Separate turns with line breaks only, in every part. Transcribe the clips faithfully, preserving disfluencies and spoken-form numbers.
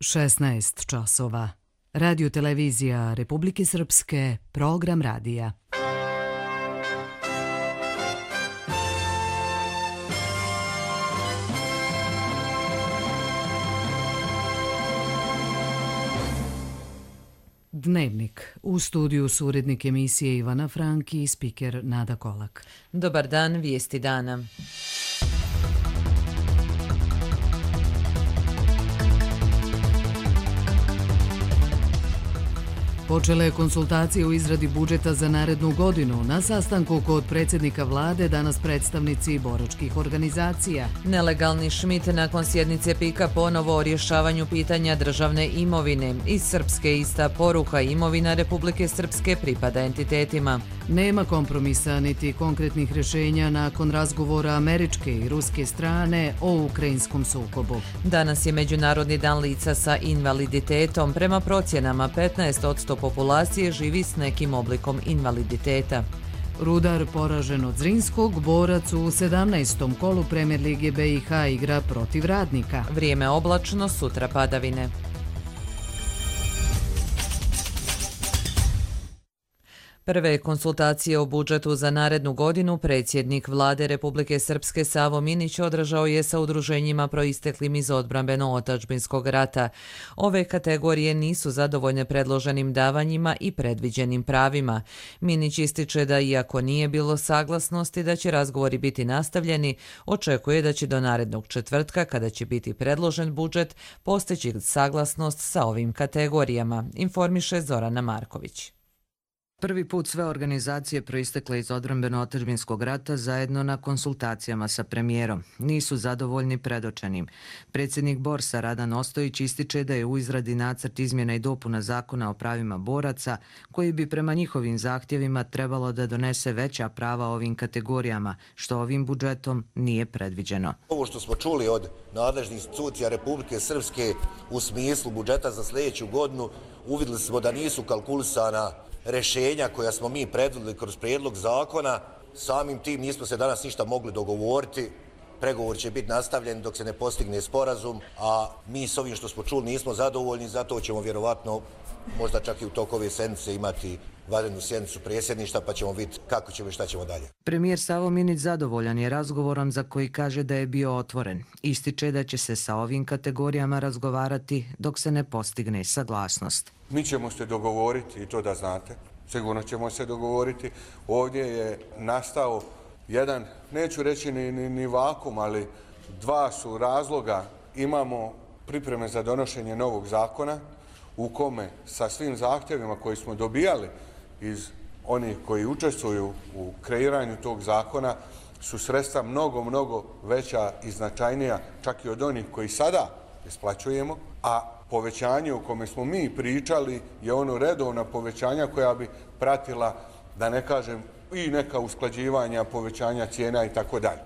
šesnaest časova. Radio televizija Republike Srpske, program radija. Dnevnik. U studiju su urednik emisije Ivana Franki i spiker Nada Kolak.
Dobar dan, vijesti dana.
Počele konsultacije u izradi budžeta za narednu godinu. Na sastanku kod predsjednika vlade danas predstavnici boračkih organizacija.
Nelegalni Šmit nakon sjednice pika ponovo o rješavanju pitanja državne imovine. Iz Srpske ista poruka, imovina Republike Srpske pripada entitetima.
Nema kompromisa niti konkretnih rješenja nakon razgovora američke i ruske strane o ukrajinskom sukobu.
Danas je Međunarodni dan lica sa invaliditetom. Prema procjenama petnaest posto populacije živi s nekim oblikom invaliditeta.
Rudar poražen od Zrinskog, borac u sedamnaestom kolu Premier lige B i H igra protiv Radnika.
Vrijeme oblačno, sutra padavine. Prve konsultacije o budžetu za narednu godinu predsjednik vlade Republike Srpske Savo Minić održao je sa udruženjima proisteklim iz odbrambeno-otadžbinskog rata. Ove kategorije nisu zadovoljne predloženim davanjima i predviđenim pravima. Minić ističe da iako nije bilo saglasnosti da će razgovori biti nastavljeni, očekuje da će do narednog četvrtka, kada će biti predložen budžet, postići saglasnost sa ovim kategorijama, informiše Zorana Marković.
Prvi put sve organizacije proistekle iz odbrambeno-otadžbinskog rata zajedno na konsultacijama sa premijerom. Nisu zadovoljni predočenim. Predsjednik Borsa Radan Ostojić ističe da je u izradi nacrt izmjena i dopuna zakona o pravima boraca, koji bi prema njihovim zahtjevima trebalo da donese veća prava ovim kategorijama, što ovim budžetom nije predviđeno.
Ovo što smo čuli od nadležnih institucija Republike Srpske u smislu budžeta za sljedeću godinu, uvidjeli smo da nisu kalkulisana rješenja koja smo mi predvidjeli kroz prijedlog zakona. Samim tim nismo se danas ništa mogli dogovoriti. Pregovor će biti nastavljen dok se ne postigne sporazum, a mi s ovim što smo čuli nismo zadovoljni, zato ćemo vjerovatno možda čak i u toku ove sedmice imati vanrednu sjednicu predsjedništva, pa ćemo vidjeti kako ćemo i šta ćemo dalje.
Premijer Savo Minić zadovoljan je razgovorom za koji kaže da je bio otvoren. Ističe da će se sa ovim kategorijama razgovarati dok se ne postigne saglasnost.
Mi ćemo se dogovoriti, i to da znate, sigurno ćemo se dogovoriti. Ovdje je nastao jedan, neću reći ni, ni, ni vakum, ali dva su razloga. Imamo pripreme za donošenje novog zakona u kome sa svim zahtjevima koji smo dobijali iz onih koji učestvuju u kreiranju tog zakona su sredstva mnogo, mnogo veća i značajnija čak i od onih koji sada isplaćujemo, a povećanje o kome smo mi pričali je ono redovna povećanja koja bi pratila, da ne kažem, i neka usklađivanja, povećanja cijena i tako dalje.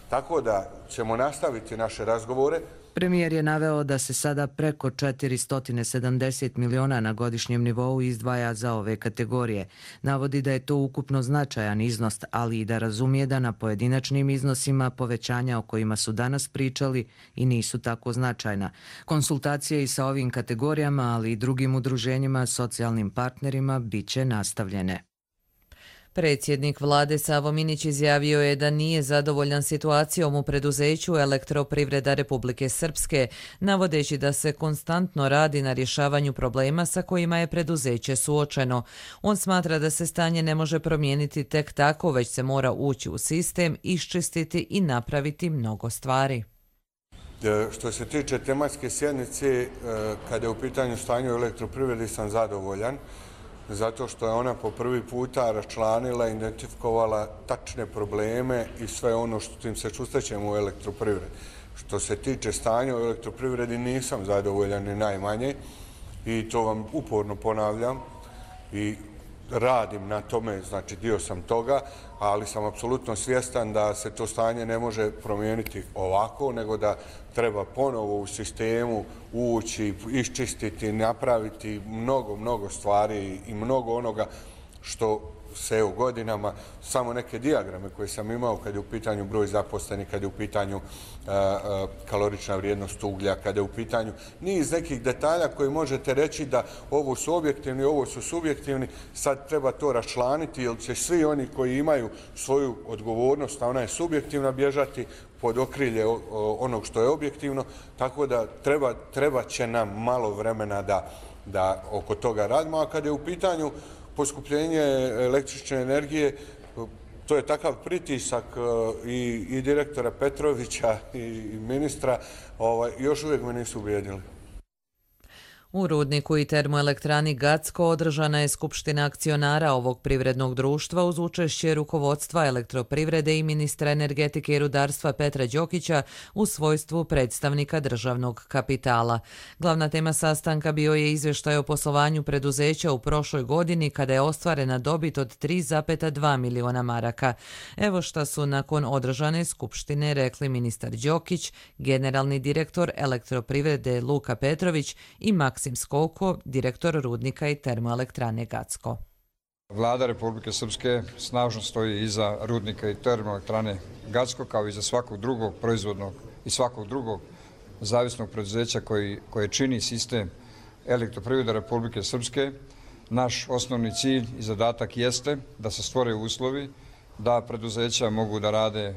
Tako da ćemo nastaviti naše razgovore.
Premijer je naveo da se sada preko četiristo sedamdeset miliona na godišnjem nivou izdvaja za ove kategorije. Navodi da je to ukupno značajan iznos, ali i da razumije da na pojedinačnim iznosima povećanja o kojima su danas pričali i nisu tako značajna. Konsultacije i sa ovim kategorijama, ali i drugim udruženjima, socijalnim partnerima, bit će nastavljene.
Predsjednik vlade Savo Minić izjavio je da nije zadovoljan situacijom u preduzeću Elektroprivreda Republike Srpske, navodeći da se konstantno radi na rješavanju problema sa kojima je preduzeće suočeno. On smatra da se stanje ne može promijeniti tek tako, već se mora ući u sistem, iščistiti i napraviti mnogo stvari.
Što se tiče tematske sjednice, kada je u pitanju stanje u elektroprivredi, sam zadovoljan, zato što je ona po prvi puta raščlanila, identifikovala tačne probleme i sve ono što tim se susrećemo u elektroprivredi. Što se tiče stanja u elektroprivredi, nisam zadovoljan ni najmanje i to vam uporno ponavljam i radim na tome, znači dio sam toga, ali sam apsolutno svjestan da se to stanje ne može promijeniti ovako, nego da treba ponovo u sistemu ući, iščistiti, napraviti mnogo, mnogo stvari i mnogo onoga što se u godinama, samo neke dijagrame koje sam imao kad je u pitanju broj zaposlenih, kad je u pitanju a, a, kalorična vrijednost uglja, kad je u pitanju niz nekih detalja koji možete reći da ovo su objektivni, ovo su subjektivni, sad treba to raščlaniti jer će svi oni koji imaju svoju odgovornost, a ona je subjektivna, bježati pod okrilje onog što je objektivno, tako da treba, treba će nam malo vremena da, da oko toga radimo, a kad je u pitanju poskupljenje električne energije, to je takav pritisak i, i direktora Petrovića i ministra, ovaj, još uvijek me nisu ubijedili.
U rudniku i termoelektrani Gacko održana je skupština akcionara ovog privrednog društva uz učešće rukovodstva elektroprivrede i ministra energetike i rudarstva Petra Đokića u svojstvu predstavnika državnog kapitala. Glavna tema sastanka bio je izvještaj o poslovanju preduzeća u prošloj godini kada je ostvarena dobit od tri zarez dva miliona maraka. Evo šta su nakon održane skupštine rekli ministar Đokić, generalni direktor elektroprivrede Luka Petrović i Maksim Skoko, direktor rudnika i termoelektrane Gacko.
Vlada Republike Srpske snažno stoji iza rudnika i termoelektrane Gacko kao i za svakog drugog proizvodnog i svakog drugog zavisnog preduzeća koji, koje čini sistem elektroprivrede Republike Srpske. Naš osnovni cilj i zadatak jeste da se stvore uslovi da preduzeća mogu da rade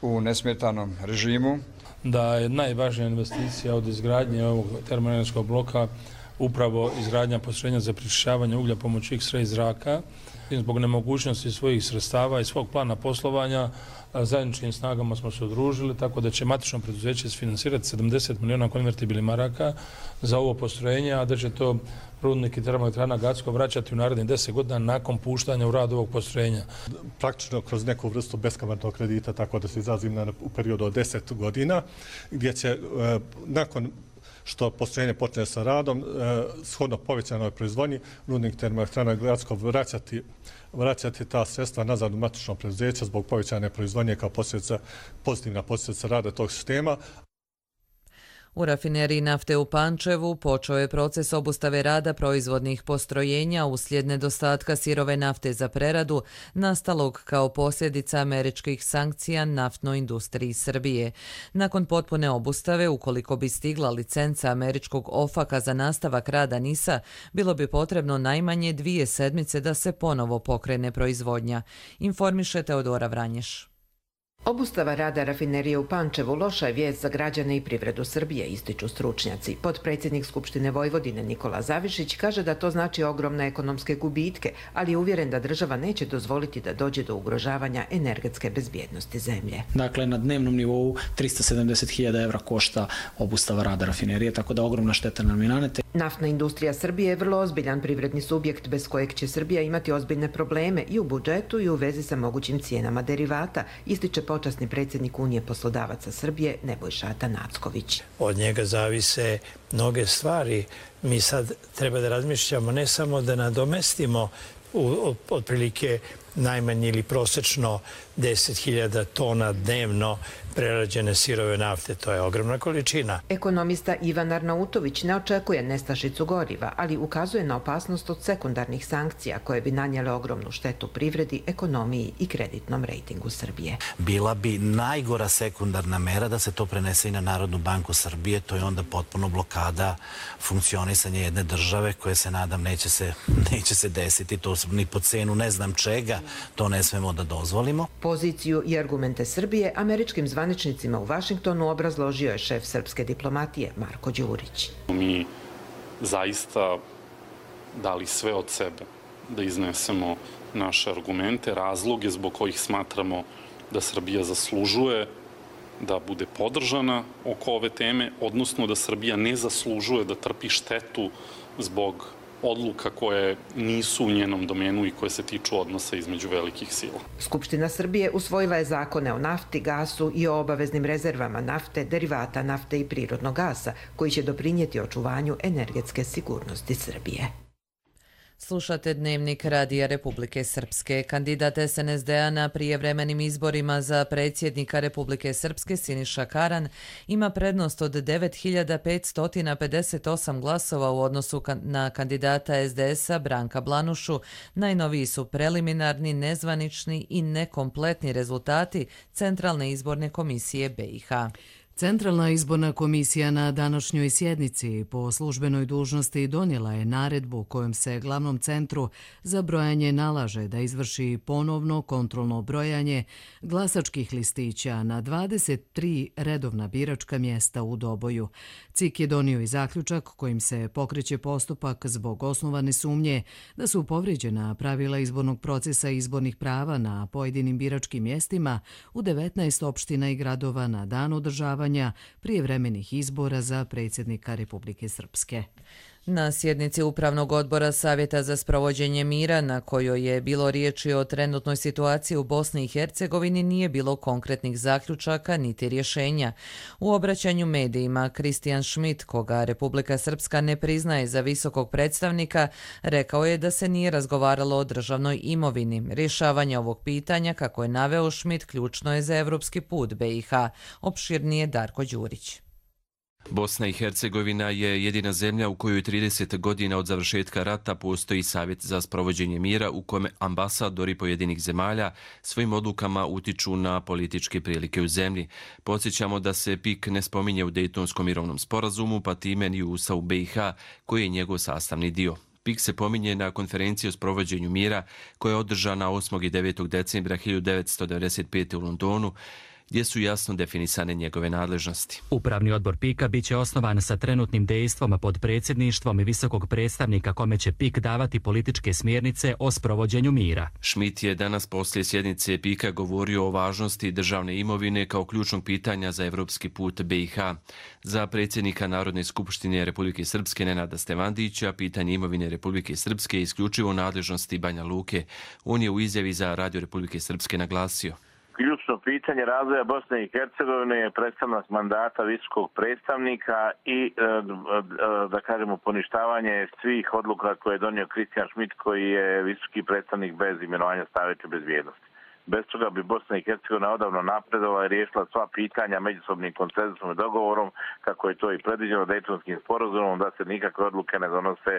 u nesmetanom režimu.
Da je najvažnija investicija od izgradnje ovog termoenergetskog bloka upravo izgradnja postrojenja za pročišćavanje uglja pomoću X-ray zraka. Zbog nemogućnosti svojih sredstava i svog plana poslovanja zajedničkim snagama smo se udružili, tako da će matično preduzeće isfinansirati sedamdeset miliona konvertibilnih maraka za ovo postrojenje, a da će to rudnik i termoelektrana Gacko vraćati u narednih deset godina nakon puštanja u rad ovog postrojenja.
Praktično kroz neku vrstu beskamatnog kredita, tako da se izrazim na, u periodu od deset godina, gdje će e, nakon što postrojenje počne sa radom, e, shodno povećanoj proizvodnji, rudnik termoelektrana Gacko vraćati, vraćati ta sredstva nazad u matično preduzeće zbog povećane proizvodnje kao posljedica, pozitivna posljedica rada tog sistema.
U rafineriji nafte u Pančevu počeo je proces obustave rada proizvodnih postrojenja uslijed nedostatka sirove nafte za preradu, nastalog kao posljedica američkih sankcija naftnoj industriji Srbije. Nakon potpune obustave, ukoliko bi stigla licenca američkog ofaka za nastavak rada NIS-a, bilo bi potrebno najmanje dvije sedmice da se ponovo pokrene proizvodnja. Informiše Teodora Vranješ.
Obustava rada rafinerije u Pančevu loša je vijest za građane i privredu Srbije, ističu stručnjaci. Potpredsjednik Skupštine Vojvodine Nikola Zavišić kaže da to znači ogromne ekonomske gubitke, ali je uvjeren da država neće dozvoliti da dođe do ugrožavanja energetske bezbjednosti zemlje.
Dakle, na dnevnom nivou trista sedamdeset hiljada evra košta obustava rada rafinerije, tako da ogromna šteta nam je nanete.
Naftna industrija Srbije je vrlo ozbiljan privredni subjekt bez kojeg će Srbija imati ozbiljne probleme i u budžetu i u vezi sa mogućim cijenama derivata, ističe počasni predsjednik Unije poslodavaca Srbije Nebojša Atanacković.
Od njega zavise mnoge stvari. Mi sad treba da razmišljamo ne samo da nadomestimo u, otprilike najmanje ili prosečno deset hiljada tona dnevno prerađene sirove nafte. To je ogromna količina.
Ekonomista Ivan Arnautović ne očekuje nestašicu goriva, ali ukazuje na opasnost od sekundarnih sankcija koje bi nanijele ogromnu štetu privredi, ekonomiji i kreditnom rejtingu Srbije.
Bila bi najgora sekundarna mera da se to prenese i na Narodnu banku Srbije. To je onda potpuno blokada funkcionisanja jedne države koje se nadam neće se, neće se desiti. To ni po cenu ne znam čega. To ne smemo da dozvolimo.
Poziciju i argumente Srbije američkim zvaničnicima u Vašingtonu obrazložio je šef srpske diplomatije Marko Đurić.
Mi zaista dali sve od sebe da iznesemo naše argumente, razloge zbog kojih smatramo da Srbija zaslužuje da bude podržana oko ove teme, odnosno da Srbija ne zaslužuje da trpi štetu zbog odluka koje nisu u njenom domenu i koje se tiču odnosa između velikih sila.
Skupština Srbije usvojila je zakone o nafti, gasu i o obaveznim rezervama nafte, derivata nafte i prirodnog gasa, koji će doprinijeti očuvanju energetske sigurnosti Srbije.
Slušate Dnevnik Radija Republike Srpske. Kandidat S N S D-a na prijevremenim izborima za predsjednika Republike Srpske Siniša Karan ima prednost od devet hiljada petsto pedeset osam glasova u odnosu na kandidata S D S-a Branka Blanušu. Najnoviji su preliminarni, nezvanični i nekompletni rezultati Centralne izborne komisije B i H.
Centralna izborna komisija na današnjoj sjednici po službenoj dužnosti donijela je naredbu kojom se glavnom centru za brojanje nalaže da izvrši ponovno kontrolno brojanje glasačkih listića na dvadeset tri redovna biračka mjesta u Doboju. C I K je donio i zaključak kojim se pokreće postupak zbog osnovane sumnje da su povrijeđena pravila izbornog procesa i izbornih prava na pojedinim biračkim mjestima u devetnaest opština i gradova na dan održavanja prijevremenih izbora za predsjednika Republike Srpske.
Na sjednici Upravnog odbora Savjeta za sprovođenje mira, na kojoj je bilo riječi o trenutnoj situaciji u Bosni i Hercegovini, nije bilo konkretnih zaključaka niti rješenja. U obraćanju medijima Kristijan Schmidt, koga Republika Srpska ne priznaje za visokog predstavnika, rekao je da se nije razgovaralo o državnoj imovini. Rješavanje ovog pitanja, kako je naveo Schmidt, ključno je za evropski put B i H. Opširnije Darko Đurić.
Bosna i Hercegovina je jedina zemlja u kojoj trideset godina od završetka rata postoji Savjet za sprovođenje mira u kome ambasadori pojedinih zemalja svojim odlukama utiču na političke prilike u zemlji. Podsjećamo da se P I K ne spominje u Dejtonskom mirovnom sporazumu, pa time ni u Ustavu B i H, koji je njegov sastavni dio. P I K se pominje na konferenciji o sprovođenju mira koja je održana osmog i devetog decembra hiljadu devetsto devedeset pete. u Londonu, gdje su jasno definisane njegove nadležnosti.
Upravni odbor P I K-a biće osnovan sa trenutnim dejstvom pod predsjedništvom i visokog predstavnika kome će P I K davati političke smjernice o sprovođenju mira.
Schmidt je danas poslije sjednice P I K-a govorio o važnosti državne imovine kao ključnog pitanja za evropski put B i H. Za predsjednika Narodne skupštine Republike Srpske Nenada Stevandića pitanje imovine Republike Srpske je isključivo nadležnosti Banja Luke. On je u izjavi za Radio Republike Srpske naglasio:
ključno pitanje razvoja Bosne i Hercegovine je prestanak mandata visokog predstavnika i, da kažemo, poništavanje svih odluka koje je donio Kristijan Schmidt, koji je visoki predstavnik bez imenovanja Savjeta bezbjednosti. Bez toga bi Bosna i Hercegovina odavno napredovala i riješila sva pitanja međusobnim konsenzusom i dogovorom, kako je to i predviđeno Dejtonskim sporazumom, da se nikakve odluke ne donose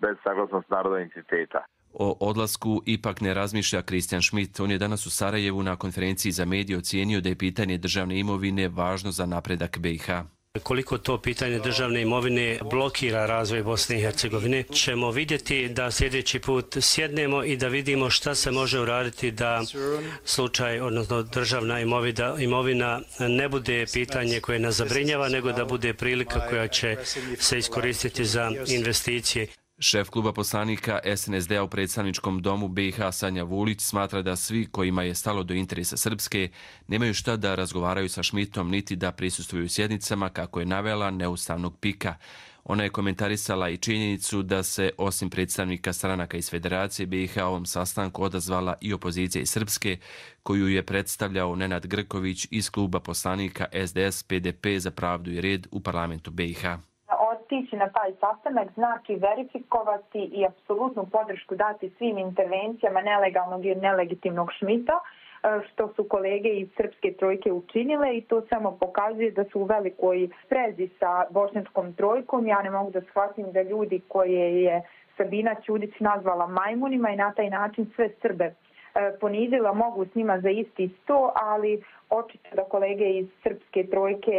bez saglasnosti naroda i entiteta.
O odlasku ipak ne razmišlja Kristijan Schmidt. On je danas u Sarajevu na konferenciji za medije ocijenio da je pitanje državne imovine važno za napredak B i H.
Koliko to pitanje državne imovine blokira razvoj Bosne i Hercegovine, ćemo vidjeti da sljedeći put sjednemo i da vidimo šta se može uraditi da slučaj, odnosno državna imovina, imovina ne bude pitanje koje nas zabrinjava, nego da bude prilika koja će se iskoristiti za investicije.
Šef kluba poslanika S N S D-a u predstavničkom domu B i H Sanja Vulić smatra da svi kojima je stalo do interesa Srpske nemaju šta da razgovaraju sa Schmidtom niti da prisustvuju sjednicama, kako je navela neustavnog P I K-a. Ona je komentarisala i činjenicu da se osim predstavnika stranaka iz Federacije B i H ovom sastanku odazvala i opozicija iz Srpske, koju je predstavljao Nenad Grković iz kluba poslanika S D S P D P za pravdu i red u parlamentu B i H.
Otići na taj sastanak znači verifikovati i apsolutnu podršku dati svim intervencijama nelegalnog i nelegitimnog Schmidta, što su kolege iz Srpske trojke učinile, i to samo pokazuje da su u velikoj sprezi sa bošnjačkom trojkom. Ja ne mogu da shvatim da ljudi koje je Sabina Ćudić nazvala majmunima i na taj način sve Srbe ponizila, mogu s njima za isti sto, ali očito da kolege iz Srpske trojke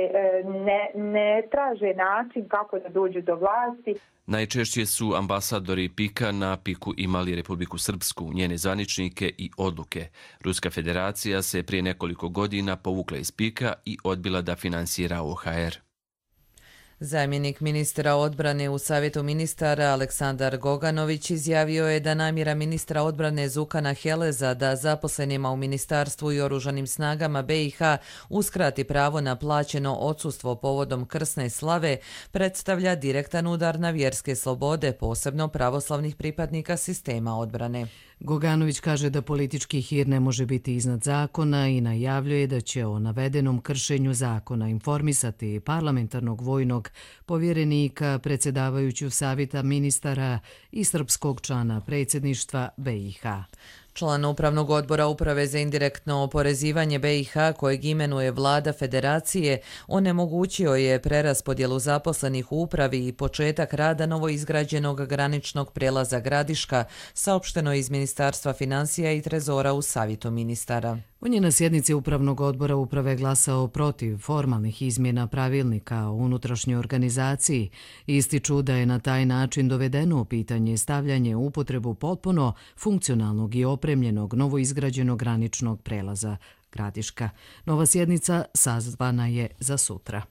ne, ne traže način kako da dođu do vlasti.
Najčešće su ambasadori P I K-a na P I K-u imali Republiku Srpsku, njene zvaničnike i odluke. Ruska federacija se prije nekoliko godina povukla iz P I K-a i odbila da finansira O H R.
Zamjenik ministra odbrane u Savjetu ministara Aleksandar Goganović izjavio je da namjera ministra odbrane Zukana Heleza da zaposlenima u ministarstvu i oružanim snagama B i H uskrati pravo na plaćeno odsustvo povodom krsne slave predstavlja direktan udar na vjerske slobode, posebno pravoslavnih pripadnika sistema odbrane.
Goganović kaže da politički hir ne može biti iznad zakona i najavljuje da će o navedenom kršenju zakona informisati parlamentarnog vojnog sastanak povjerenika predsjedavajućeg savjeta ministara i srpskog člana predsjedništva B i H.
Član Upravnog odbora Uprave za indirektno oporezivanje B i H kojeg imenuje vlada federacije onemogućio je preraspodjelu zaposlenih u upravi i početak rada novoizgrađenog graničnog prijelaza Gradiška, saopšteno iz Ministarstva financija i trezora u savjetu ministara.
On je na sjednici Upravnog odbora Uprave glasao protiv formalnih izmjena pravilnika o unutrašnjoj organizaciji. Ističu da je na taj način dovedeno u pitanje stavljanje u upotrebu potpuno funkcionalnog i opremljenog novoizgrađenog graničnog prelaza Gradiška. Nova sjednica sazvana je za sutra.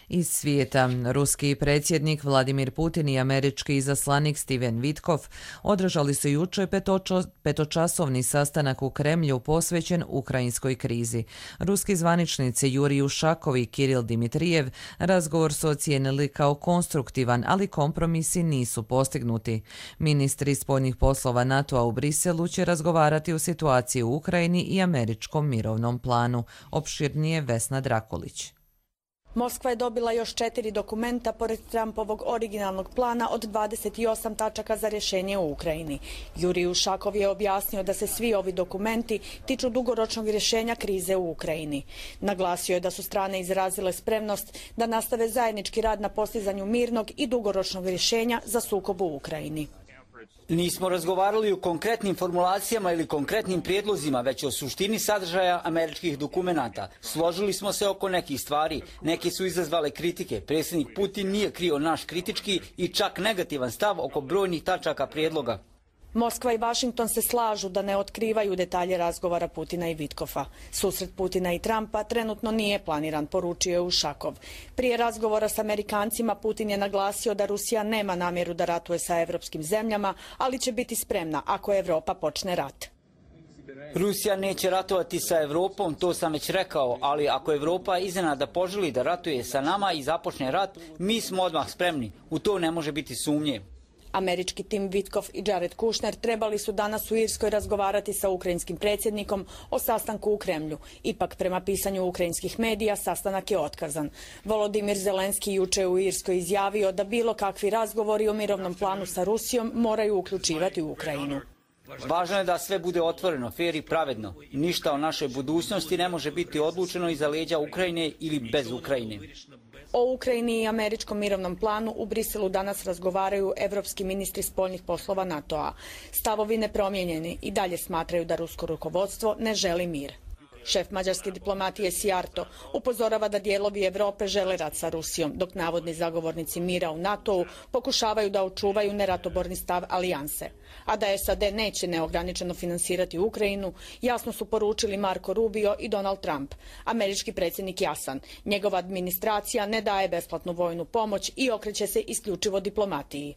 Iz svijeta, ruski predsjednik Vladimir Putin i američki izaslanik Steven Witkoff održali su jučer petočasovni sastanak u Kremlju posvećen ukrajinskoj krizi. Ruski zvaničnici Jurij Ušakov i Kiril Dimitrijev razgovor su ocijenili kao konstruktivan, ali kompromisi nisu postignuti. Ministri spoljnih poslova NATO-a u Briselu će razgovarati o situaciji u Ukrajini i američkom mirovnom planu. Opširnije Vesna Drakulić.
Moskva je dobila još četiri dokumenta pored Trumpovog originalnog plana od dvadeset osam tačaka za rješenje u Ukrajini. Jurij Ušakov je objasnio da se svi ovi dokumenti tiču dugoročnog rješenja krize u Ukrajini. Naglasio je da su strane izrazile spremnost da nastave zajednički rad na postizanju mirnog i dugoročnog rješenja za sukob u Ukrajini.
Nismo razgovarali o konkretnim formulacijama ili konkretnim prijedlozima, već o suštini sadržaja američkih dokumenata. Složili smo se oko nekih stvari, neke su izazvale kritike. Predsjednik Putin nije krio naš kritički i čak negativan stav oko brojnih tačaka prijedloga.
Moskva i Vašington se slažu da ne otkrivaju detalje razgovora Putina i Vitkoffa. Susret Putina i Trumpa trenutno nije planiran, poručio je Ušakov. Prije razgovora s Amerikancima Putin je naglasio da Rusija nema namjeru da ratuje sa evropskim zemljama, ali će biti spremna ako Evropa počne rat.
Rusija neće ratovati sa Evropom, to sam već rekao, ali ako Evropa iznenada poželi da ratuje sa nama i započne rat, mi smo odmah spremni. U to ne može biti sumnje.
Američki tim Witkoff i Jared Kushner trebali su danas u Irskoj razgovarati sa ukrajinskim predsjednikom o sastanku u Kremlju. Ipak, prema pisanju ukrajinskih medija, sastanak je otkazan. Volodimir Zelenski juče u Irskoj izjavio da bilo kakvi razgovori o mirovnom planu sa Rusijom moraju uključivati u Ukrajinu.
Važno je da sve bude otvoreno, fer i pravedno. Ništa o našoj budućnosti ne može biti odlučeno iza leđa Ukrajine ili bez Ukrajine.
O Ukrajini i američkom mirovnom planu u Briselu danas razgovaraju evropski ministri spoljnih poslova NATO-a. Stavovi nepromijenjeni i dalje smatraju da rusko rukovodstvo ne želi mir. Šef mađarske diplomatije Sijarto upozorava da dijelovi Evrope žele rat sa Rusijom, dok navodni zagovornici mira u NATO-u pokušavaju da očuvaju neratoborni stav alijanse. A da S A D neće neograničeno finansirati Ukrajinu, jasno su poručili Marco Rubio i Donald Trump. Američki predsjednik jasan, njegova administracija ne daje besplatnu vojnu pomoć i okreće se isključivo diplomatiji.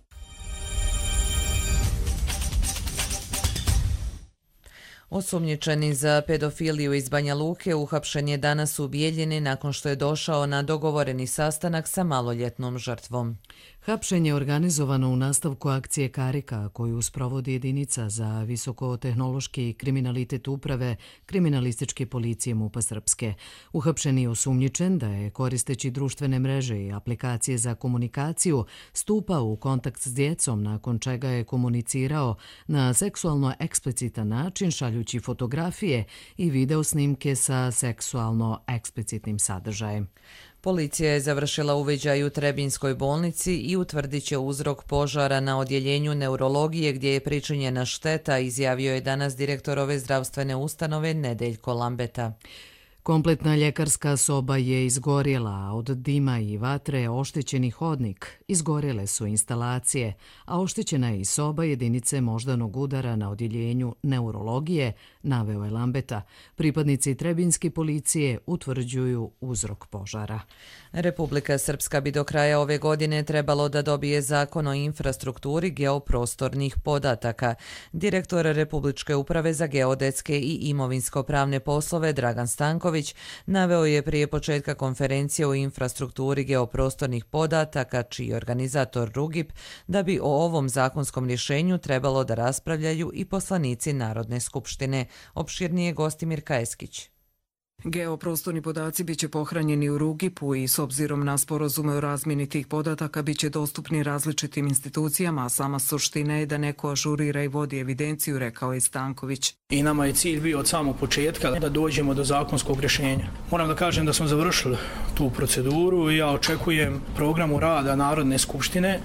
Osumnjičeni za pedofiliju iz Banja Luke uhapšen je danas u Bijeljini nakon što je došao na dogovoreni sastanak sa maloljetnom žrtvom.
Hapšenje je organizovano u nastavku akcije Karika, koju sprovodi jedinica za visokotehnološki kriminalitet uprave kriminalističke policije MUP-a Srpske. Uhapšen je osumnjičen da je, koristeći društvene mreže i aplikacije za komunikaciju, stupao u kontakt s djecom, nakon čega je komunicirao na seksualno eksplicitan način, šaljući fotografije i video snimke sa seksualno eksplicitnim sadržajem.
Policija je završila uviđaj u Trebinjskoj bolnici i utvrdit će uzrok požara na odjeljenju neurologije gdje je pričinjena šteta, izjavio je danas direktor ove zdravstvene ustanove Nedeljko Lambeta.
Kompletna ljekarska soba je izgorjela, a od dima i vatre oštećeni hodnik. Izgorjele su instalacije, a oštećena je i soba jedinice moždanog udara na odjeljenju neurologije, naveo je Lambeta. Pripadnici Trebinjske policije utvrđuju uzrok požara.
Republika Srpska bi do kraja ove godine trebalo da dobije zakon o infrastrukturi geoprostornih podataka. Direktor Republičke uprave za geodetske i imovinsko-pravne poslove Dragan Stanković naveo je prije početka konferencije o infrastrukturi geoprostornih podataka, čiji je organizator Rugip, da bi o ovom zakonskom rješenju trebalo da raspravljaju i poslanici Narodne skupštine. Opširnije Gostimir Kajeskić.
Geoprostorni podaci biće pohranjeni u Rugipu i s obzirom na sporazume o razmjeni tih podataka biće dostupni različitim institucijama, a sama suština je da neko ažurira i vodi evidenciju, rekao je Stanković.
I nama je cilj bio od samog početka da dođemo do zakonskog rješenja. Moram da kažem da smo završili tu proceduru i ja očekujem programu rada Narodne skupštine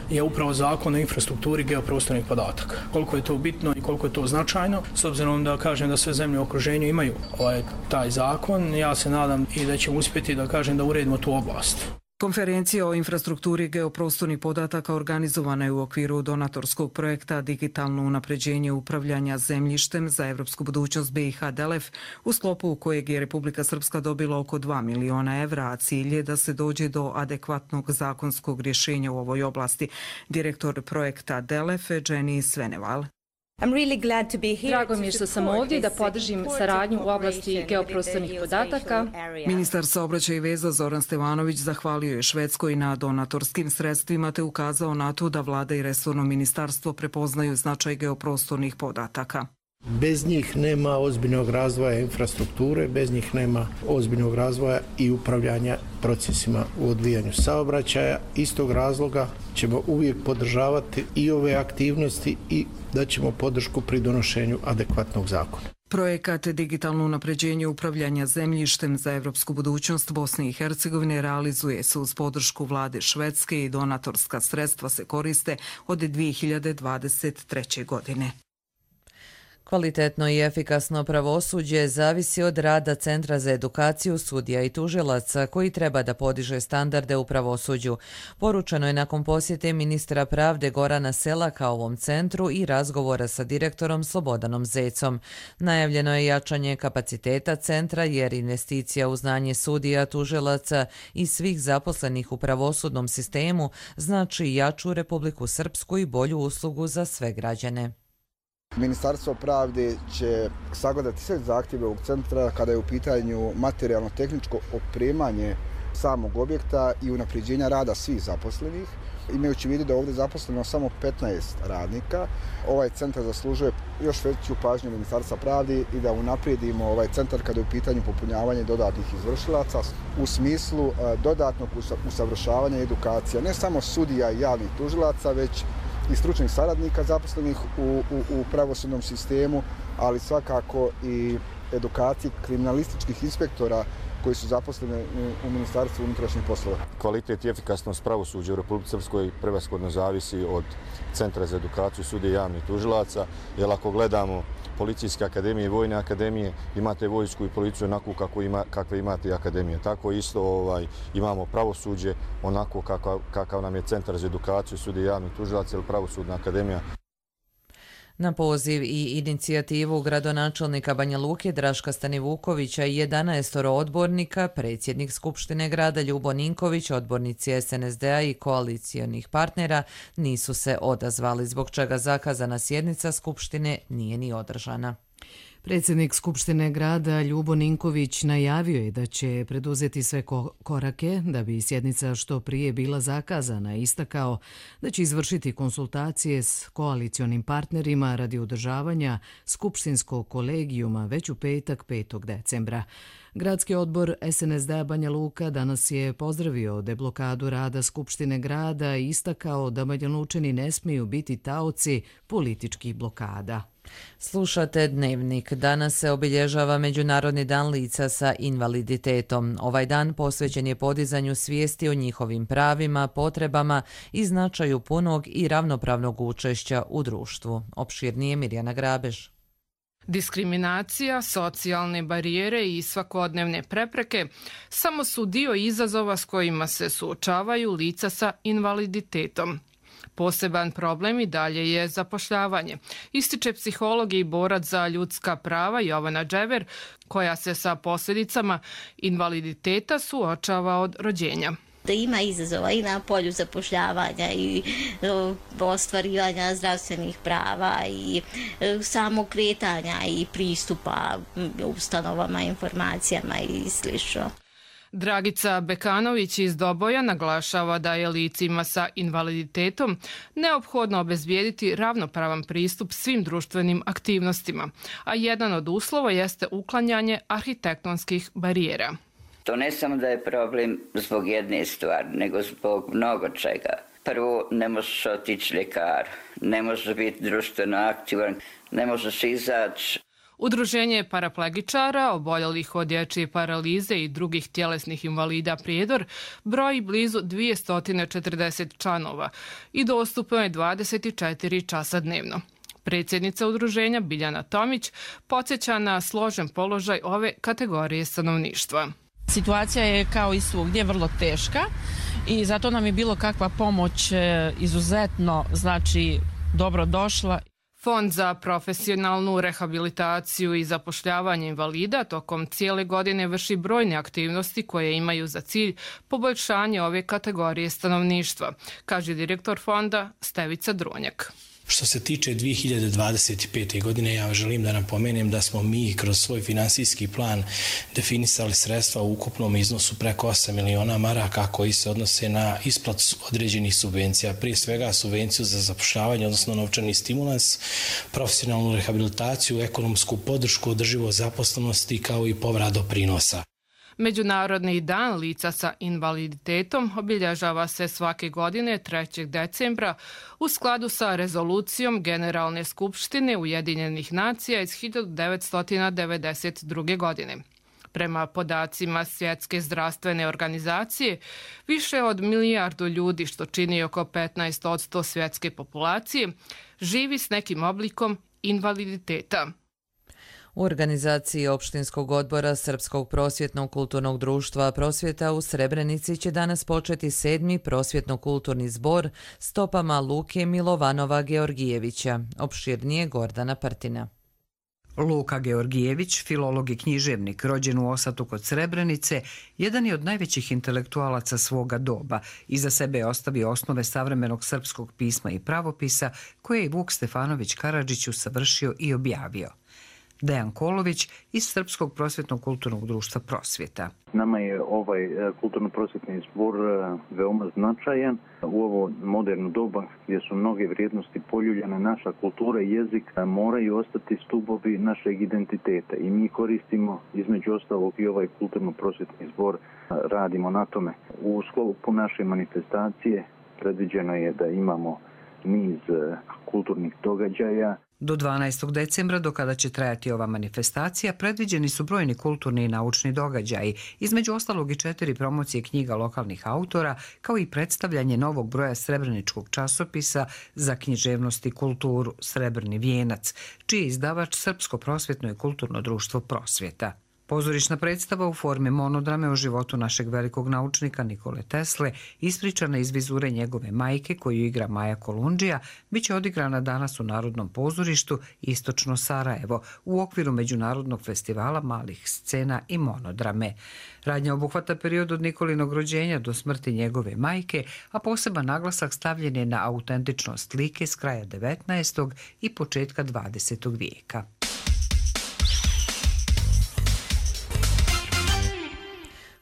je upravo zakon o infrastrukturi geoprostornih podataka. Koliko je to bitno i koliko je to značajno, s obzirom da kažem da sve zemlje u okruženju imaju ovaj, taj zakon, ja se nadam i da ćemo uspjeti da kažem da uredimo tu oblast.
Konferencija o infrastrukturi geoprostornih podataka organizovana je u okviru donatorskog projekta Digitalno unapređenje upravljanja zemljištem za evropsku budućnost B i H D E L E F, u sklopu kojeg je Republika Srpska dobila oko dva miliona evra, a cilj je da se dođe do adekvatnog zakonskog rješenja u ovoj oblasti. Direktor projekta D E L E F, Jenny Sveneval.
Drago mi je što sam ovdje da podržim saradnju u oblasti geoprostornih podataka.
Ministar saobraćaja i veza Zoran Stevanović zahvalio je Švedskoj na donatorskim sredstvima te ukazao na to da vlada i resorno ministarstvo prepoznaju značaj geoprostornih podataka.
Bez njih nema ozbiljnog razvoja infrastrukture, bez njih nema ozbiljnog razvoja i upravljanja procesima u odvijanju saobraćaja. Iz tog razloga ćemo uvijek podržavati i ove aktivnosti i da ćemo podršku pri donošenju adekvatnog zakona.
Projekat Digitalno unapređenje upravljanja zemljištem za evropsku budućnost Bosne i Hercegovine realizuje se uz podršku vlade Švedske i donatorska sredstva se koriste od dvije hiljade dvadeset treće. godine.
Kvalitetno i efikasno pravosuđe zavisi od rada Centra za edukaciju sudija i tužilaca koji treba da podiže standarde u pravosuđu. Poručeno je nakon posjete ministra pravde Gorana Selaka ovom centru i razgovora sa direktorom Slobodanom Zecom. Najavljeno je jačanje kapaciteta centra jer investicija u znanje sudija, tužilaca i svih zaposlenih u pravosudnom sistemu znači jaču Republiku Srpsku i bolju uslugu za sve građane.
Ministarstvo pravde će sagledati sve zahtjeve ovog centra kada je u pitanju materijalno-tehničko opremanje samog objekta i unapređenja rada svih zaposlenih. Imajući u vidu da je ovdje zaposleno samo petnaest radnika, ovaj centar zaslužuje još veću pažnju Ministarstva pravde i da unaprijedimo ovaj centar kada je u pitanju popunjavanja dodatnih izvršilaca u smislu dodatnog usavršavanja i edukacija ne samo sudija i javnih tužilaca, već i stručnih saradnika zaposlenih u, u, u pravosudnom sistemu, ali svakako i edukaciji kriminalističkih inspektora koji su zaposleni u Ministarstvu unutrašnjih poslova.
Kvalitet i efikasnost pravosuđa u Republici Srpskoj prevashodno zavisi od Centra za edukaciju sudija i javnih tužilaca, jer ako gledamo policijske akademije i vojne akademije, imate vojsku i policiju onako kako ima, kakve imate i akademije. Tako isto ovaj, imamo pravosuđe onako kakav, kakav nam je Centar za edukaciju sudija i javnih tužilaca ili pravosudna akademija.
Na poziv i inicijativu gradonačelnika Banja Luke Draška Stanivukovića i jedanaestoro odbornika, predsjednik Skupštine grada Ljubo Ninković, odbornici S N S D-a i koalicijonih partnera nisu se odazvali, zbog čega zakazana sjednica Skupštine nije ni održana.
Predsjednik Skupštine grada Ljubo Ninković najavio je da će preduzeti sve korake da bi sjednica što prije bila zakazana i istakao da će izvršiti konsultacije s koalicionim partnerima radi održavanja skupštinskog kolegijuma već u petak petog decembra. Gradski odbor S N S D-a Banja Luka danas je pozdravio deblokadu rada Skupštine grada i istakao da Banjalučani ne smiju biti taoci političkih blokada.
Slušate Dnevnik. Danas se obilježava Međunarodni dan lica sa invaliditetom. Ovaj dan posvećen je podizanju svijesti o njihovim pravima, potrebama i značaju punog i ravnopravnog učešća u društvu. Opširnije Mirjana Grabež.
Diskriminacija, socijalne barijere i svakodnevne prepreke samo su dio izazova s kojima se suočavaju lica sa invaliditetom. Poseban problem i dalje je zapošljavanje, ističe psiholog i borac za ljudska prava Jovana Džever, koja se sa posljedicama invaliditeta suočava od rođenja.
Da ima izazova i na polju zapošljavanja i ostvarivanja zdravstvenih prava i samog kretanja i pristupa ustanovama, informacijama i slično.
Dragica Bekanović iz Doboja naglašava da je licima sa invaliditetom neophodno obezbijediti ravnopravan pristup svim društvenim aktivnostima, a jedan od uslova jeste uklanjanje arhitektonskih barijera.
To ne samo da je problem zbog jedne stvari, nego zbog mnogo čega. Prvo, ne možeš otići ljekaru, ne možeš biti društveno aktivan, ne možeš izaći.
Udruženje paraplegičara, oboljelih od dječje paralize i drugih tjelesnih invalida Prijedor broji blizu dvjesto četrdeset članova i dostupno je dvadeset četiri časa dnevno. Predsjednica udruženja Biljana Tomić podsjeća na složen položaj ove kategorije stanovništva.
Situacija je kao i svugdje vrlo teška i zato nam je bilo kakva pomoć izuzetno, znači, dobro došla.
Fond za profesionalnu rehabilitaciju i zapošljavanje invalida tokom cijele godine vrši brojne aktivnosti koje imaju za cilj poboljšanje ove kategorije stanovništva, kaže direktor fonda Stevica Dronjak.
Što se tiče dvije hiljade dvadeset pete. godine, ja želim da napomenem da smo mi kroz svoj finansijski plan definisali sredstva u ukupnom iznosu preko osam miliona maraka koji se odnose na isplatu određenih subvencija. Prije svega subvenciju za zapošljavanje, odnosno novčani stimulans, profesionalnu rehabilitaciju, ekonomsku podršku, održivost zaposlenosti kao i povrat doprinosa.
Međunarodni dan lica sa invaliditetom obilježava se svake godine trećeg decembra u skladu sa rezolucijom Generalne skupštine Ujedinjenih nacija iz hiljadu devetsto devedeset druge. godine. Prema podacima Svjetske zdravstvene organizacije, više od milijardu ljudi, što čini oko petnaest posto svjetske populacije, živi s nekim oblikom invaliditeta.
U organizaciji opštinskog odbora Srpskog prosvjetnog kulturnog društva Prosvjeta u Srebrenici će danas početi sedmi prosvjetno-kulturni zbor stopama Luke Milovanova Georgijevića. Opširnije Gordana Partina.
Luka Georgijević, filolog i književnik, rođen u Osatu kod Srebrenice, jedan je od najvećih intelektualaca svoga doba. Iza sebe je ostavio osnove savremenog srpskog pisma i pravopisa, koje je Vuk Stefanović Karadžić usavršio i objavio. Dejan Kolović iz Srpskog prosvjetnog kulturnog društva Prosvjeta.
Nama je ovaj kulturno-prosvjetni zbor veoma značajan. U ovo moderno doba gdje su mnoge vrijednosti poljuljane, naša kultura i jezik moraju ostati stubovi našeg identiteta i mi koristimo između ostalog i ovaj kulturno-prosvjetni zbor, radimo na tome. U sklopu naše manifestacije predviđeno je da imamo niz kulturnih događaja.
Do dvanaestog decembra, do kada će trajati ova manifestacija, predviđeni su brojni kulturni i naučni događaji, između ostalog i četiri promocije knjiga lokalnih autora, kao i predstavljanje novog broja srebreničkog časopisa za književnost i kulturu Srebrni vijenac, čiji je izdavač Srpsko prosvjetno i kulturno društvo Prosvjeta. Pozorišna predstava u formi monodrame o životu našeg velikog naučnika Nikole Tesle, ispričana iz vizure njegove majke koju igra Maja Kolundžija, bit će odigrana danas u Narodnom pozorištu Istočno Sarajevo u okviru Međunarodnog festivala malih scena i monodrame. Radnja obuhvata period od Nikolinog rođenja do smrti njegove majke, a poseban naglasak stavljen je na autentičnost slike s kraja devetnaestog i početka dvadesetog vijeka.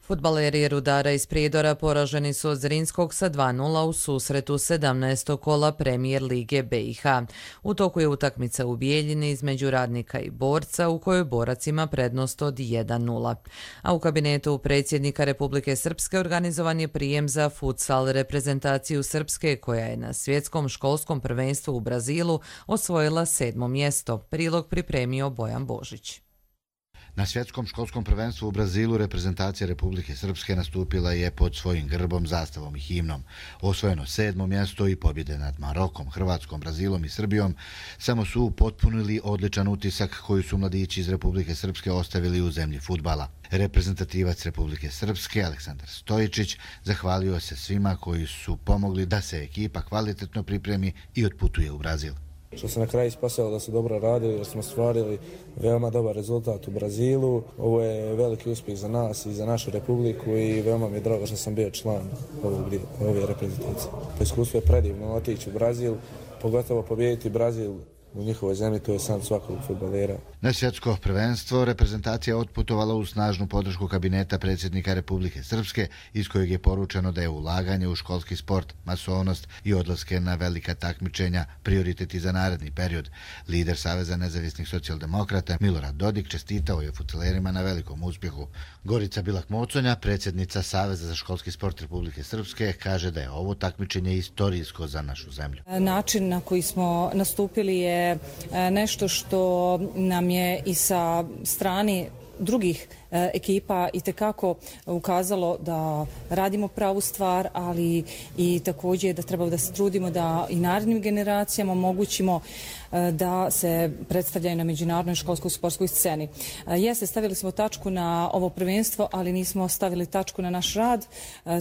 Fudbaleri Rudara iz Prijedora poraženi su od Zrinskog sa dva nula u susretu sedamnaestog kola Premijer Lige B i H. U toku je utakmica u Bijeljini između Radnika i Borca u kojoj Borac ima prednost od jedan nula. A u kabinetu predsjednika Republike Srpske organizovan je prijem za futsal reprezentaciju Srpske koja je na svjetskom školskom prvenstvu u Brazilu osvojila sedmo mjesto. Prilog pripremio Bojan Božić.
Na svjetskom školskom prvenstvu u Brazilu reprezentacija Republike Srpske nastupila je pod svojim grbom, zastavom i himnom. Osvojeno sedmo mjesto i pobjede nad Marokom, Hrvatskom, Brazilom i Srbijom samo su upotpunili odličan utisak koji su mladići iz Republike Srpske ostavili u zemlji fudbala. Reprezentativac Republike Srpske Aleksandar Stojičić zahvalio se svima koji su pomogli da se ekipa kvalitetno pripremi i otputuje u Brazil.
Što se na kraju ispasalo da su dobro radili, da smo stvarili veoma dobar rezultat u Brazilu. Ovo je veliki uspjeh za nas i za našu republiku i veoma mi je drago što sam bio član ovog, ove reprezentacije. Iskustvo je predivno otići u Brazil, pogotovo pobijediti Brazil u njihovoj zemlji, to je san svakog fudbalera.
Na svjetsko prvenstvo reprezentacija otputovala u snažnu podršku kabineta predsjednika Republike Srpske, iz kojeg je poručeno da je ulaganje u školski sport, masovnost i odlaske na velika takmičenja prioriteti za naredni period. Lider Saveza nezavisnih socijaldemokrata Milorad Dodik čestitao je fudbalerima na velikom uspjehu. Gorica Bilak-Moconja, predsjednica Saveza za školski sport Republike Srpske, kaže da je ovo takmičenje istorijsko za našu zemlju.
Način na koji smo nastupili je nešto što nam je i sa strane drugih ekipa i tekako ukazalo da radimo pravu stvar, ali i također da treba da se trudimo da i narednim generacijama omogućimo da se predstavljaju na međunarodnoj školskoj sportskoj sceni. Jeste, stavili smo tačku na ovo prvenstvo, ali nismo stavili tačku na naš rad.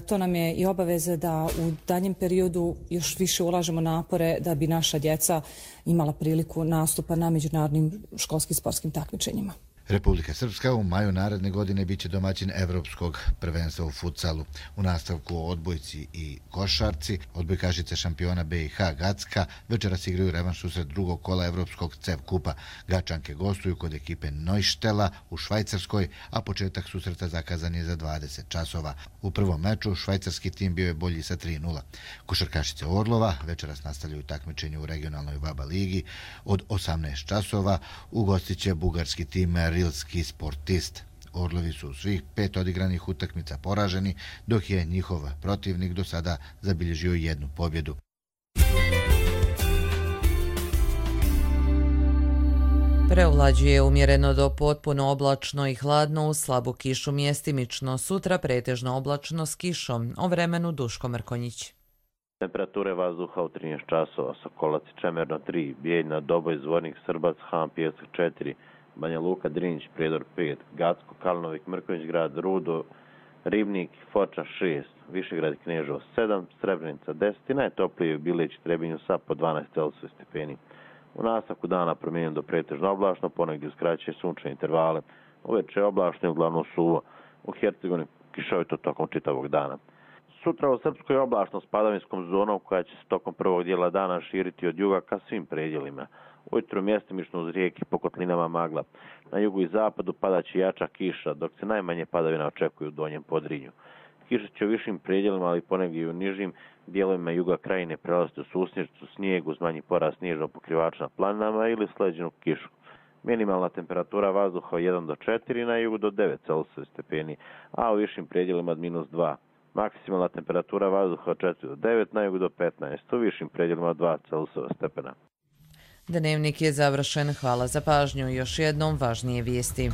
To nam je i obaveza da u daljem periodu još više ulažemo napore da bi naša djeca imala priliku nastupa na međunarodnim školskim sportskim takmičenjima.
Republika Srpska u maju naredne godine biće domaćin evropskog prvenstva u futsalu. U nastavku o odbojci i košarci, odbojkašice šampiona B i H Gacka večeras igraju revanš susret drugog kola evropskog C E V kupa. Gačanke gostuju kod ekipe Neuštela u Švajcarskoj, a početak susreta zakazan je za dvadeset časova. U prvom meču švajcarski tim bio je bolji sa tri nula. Košarkašice Orlova večeras nastavljaju takmičenje u regionalnoj VABA ligi. Od osamnaest časova ugostiće bugarski tim Rilski Sportist. Orlovi su u svih pet odigranih utakmica poraženi, dok je njihov protivnik do sada zabilježio jednu pobjedu.
Preovlađuje umjereno do potpuno oblačno i hladno uz slabu kišu mjestimično. Sutra pretežno oblačno s kišom. O vremenu Duško Mrkonjić.
Temperature vazduha u trinaest časova, Sokolac i Čemerno tri, Bijeljna, Doboj, Zvornik, Srbac, Han, Pijesak četiri, Banja Luka, Drinić, Prijedor pet, Gacko, Kalnovik, Mrkonjić grad, Rudo, Ribnik, Foča šest, Višegrad i Kneževo sedam, Srebrenica deset i najtoplije u Bilić i Trebinju sa po dvanaest Celzijusovih stepeni. U nastavku dana promijenjeno do pretežno oblačno, ponegdje uskraćuje sunčane intervale. Uveče je oblačno i uglavnom suvo. U Hercegovini kišovito tokom čitavog dana. Sutra u Srpskoj je oblačno s padavinskom zonom koja će se tokom prvog dijela dana širiti od juga ka svim predjelima. Ujutro mjestimično uz rijeke po kotlinama magla. Na jugu i zapadu padaće jača kiša, dok se najmanje padavina očekuju u Donjem Podrinju. Kiša će u višim predjelima, ali ponegdje i u nižim dijelovima juga krajine prelaziti u susnježicu, snijeg uz manji porast snježnog pokrivača na planinama ili sleđenu kišu. Minimalna temperatura vazduha jedan do četiri, na jugu do devet Celzijusovih stepeni, a u višim predjelima od minus dva. Maksimalna temperatura vazduha od četiri do devet, na jugu do petnaest, u višim predjelima od dva Celzijusova stepena.
Dnevnik je završen. Hvala za pažnju. Još jednom važnije vijesti.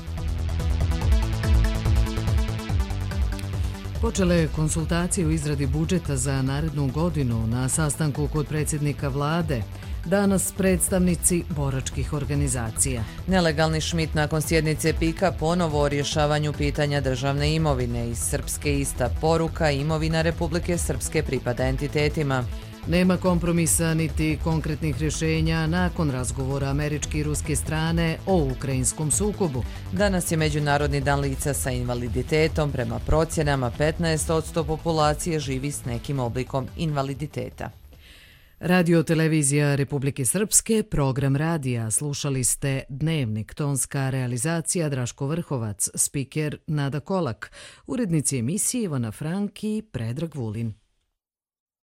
Počele konsultacije u izradi budžeta za narednu godinu na sastanku kod predsjednika vlade. Danas predstavnici boračkih organizacija.
Nelegalni Šmit nakon sjednice pika ponovo o rješavanju pitanja državne imovine. Iz Srpske ista poruka, imovina Republike Srpske pripada entitetima.
Nema kompromisa niti konkretnih rješenja nakon razgovora američke i ruske strane o ukrajinskom sukobu.
Danas je Međunarodni dan lica sa invaliditetom. Prema procjenama petnaest posto populacije živi s nekim oblikom invaliditeta.
Radio televizija Republike Srpske, program radija. Slušali ste Dnevnik, tonska realizacija Draško Vrhovac, spiker Nada Kolak, urednici emisije Ivana Frank i Predrag Vulin.